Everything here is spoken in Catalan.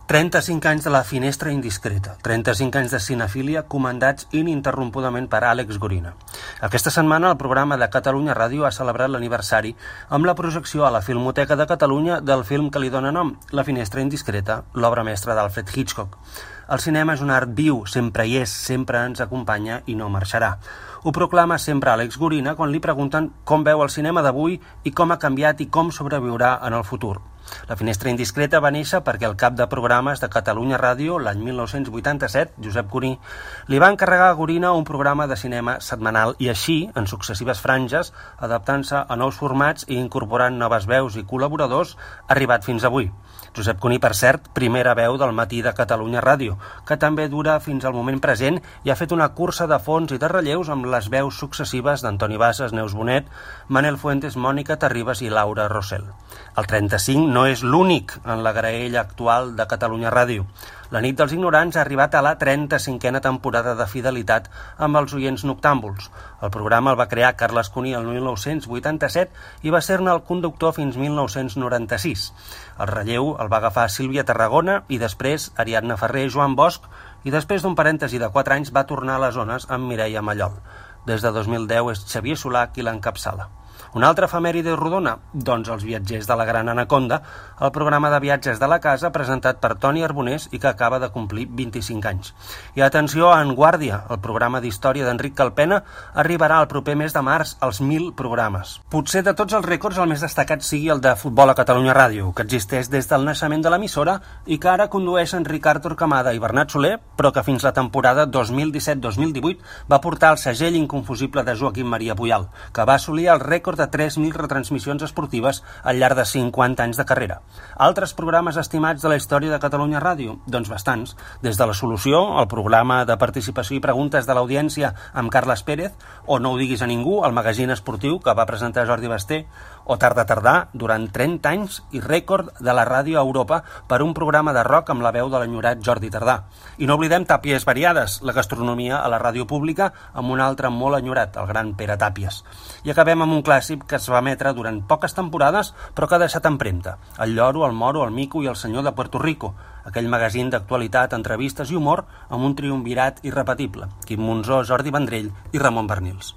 35 anys de La finestra indiscreta, 35 anys de cinefília comandats ininterrompudament per Àlex Gorina. Aquesta setmana el programa de Catalunya Ràdio ha celebrat l'aniversari amb la projecció a la Filmoteca de Catalunya del film que li dóna nom, La finestra indiscreta, l'obra mestra d'Alfred Hitchcock. El cinema és un art viu, sempre hi és, sempre ens acompanya i no marxarà. Ho proclama sempre Àlex Gorina quan li pregunten com veu el cinema d'avui i com ha canviat i com sobreviurà en el futur. La finestra indiscreta va néixer perquè el cap de programes de Catalunya Ràdio, l'any 1987, Josep Cuní, li va encarregar a Gorina un programa de cinema setmanal i així, en successives franges, adaptant-se a nous formats i incorporant noves veus i col·laboradors, ha arribat fins avui. Josep Cuní, per cert, primera veu del matí de Catalunya Ràdio, que també dura fins al moment present i ha fet una cursa de fons i de relleus amb les veus successives d'Antoni Bassas, Neus Bonet, Manel Fuentes, Mònica Terribas i Laura Rossell. El 35 no és l'únic en la graella actual de Catalunya Ràdio. La nit dels ignorants ha arribat a la 35a temporada de fidelitat amb els oients noctàmbuls. El programa el va crear Carles Cuní el 1987 i va ser-ne el conductor fins 1996. El relleu el va agafar Sílvia Tarragona i després Ariadna Ferrer i Joan Bosch i després d'un parèntesi de 4 anys va tornar a les zones amb Mireia Mallol. Des de 2010 és Xavier Solà qui l'encapçala. Una altra efemèride rodona? Doncs Els viatgers de la Gran Anaconda, el programa de viatges de la casa presentat per Toni Arbonés i que acaba de complir 25 anys. I atenció a En Guàrdia, el programa d'història d'Enric Calpena, arribarà el proper mes de març als 1.000 programes. Potser de tots els rècords el més destacat sigui el de futbol a Catalunya Ràdio, que existeix des del naixement de l'emissora i que ara condueixen Ricard Torquemada i Bernat Soler, però que fins la temporada 2017-2018 va portar el segell inconfusible de Joaquim Maria Puyal, que va assolir el rècord de 3.000 retransmissions esportives al llarg de 50 anys de carrera. Altres programes estimats de la història de Catalunya Ràdio? Doncs bastants. Des de La Solució, el programa de participació i preguntes de l'audiència amb Carles Pérez, o No ho diguis a ningú, el magazín esportiu que va presentar Jordi Basté, o Tardà, durant 30 anys i rècord de la ràdio a Europa per un programa de rock amb la veu de l'enyorat Jordi Tardà. I no oblidem Tàpies Variades, la gastronomia a la ràdio pública amb un altre molt enyorat, el gran Pere Tàpies. I acabem amb un clàssic que es va emetre durant poques temporades però que ha deixat empremta: El lloro, el moro, el mico i el senyor de Puerto Rico, aquell magazín d'actualitat, entrevistes i humor amb un triumvirat irrepetible: Quim Monzó, Jordi Vendrell i Ramon Bernils.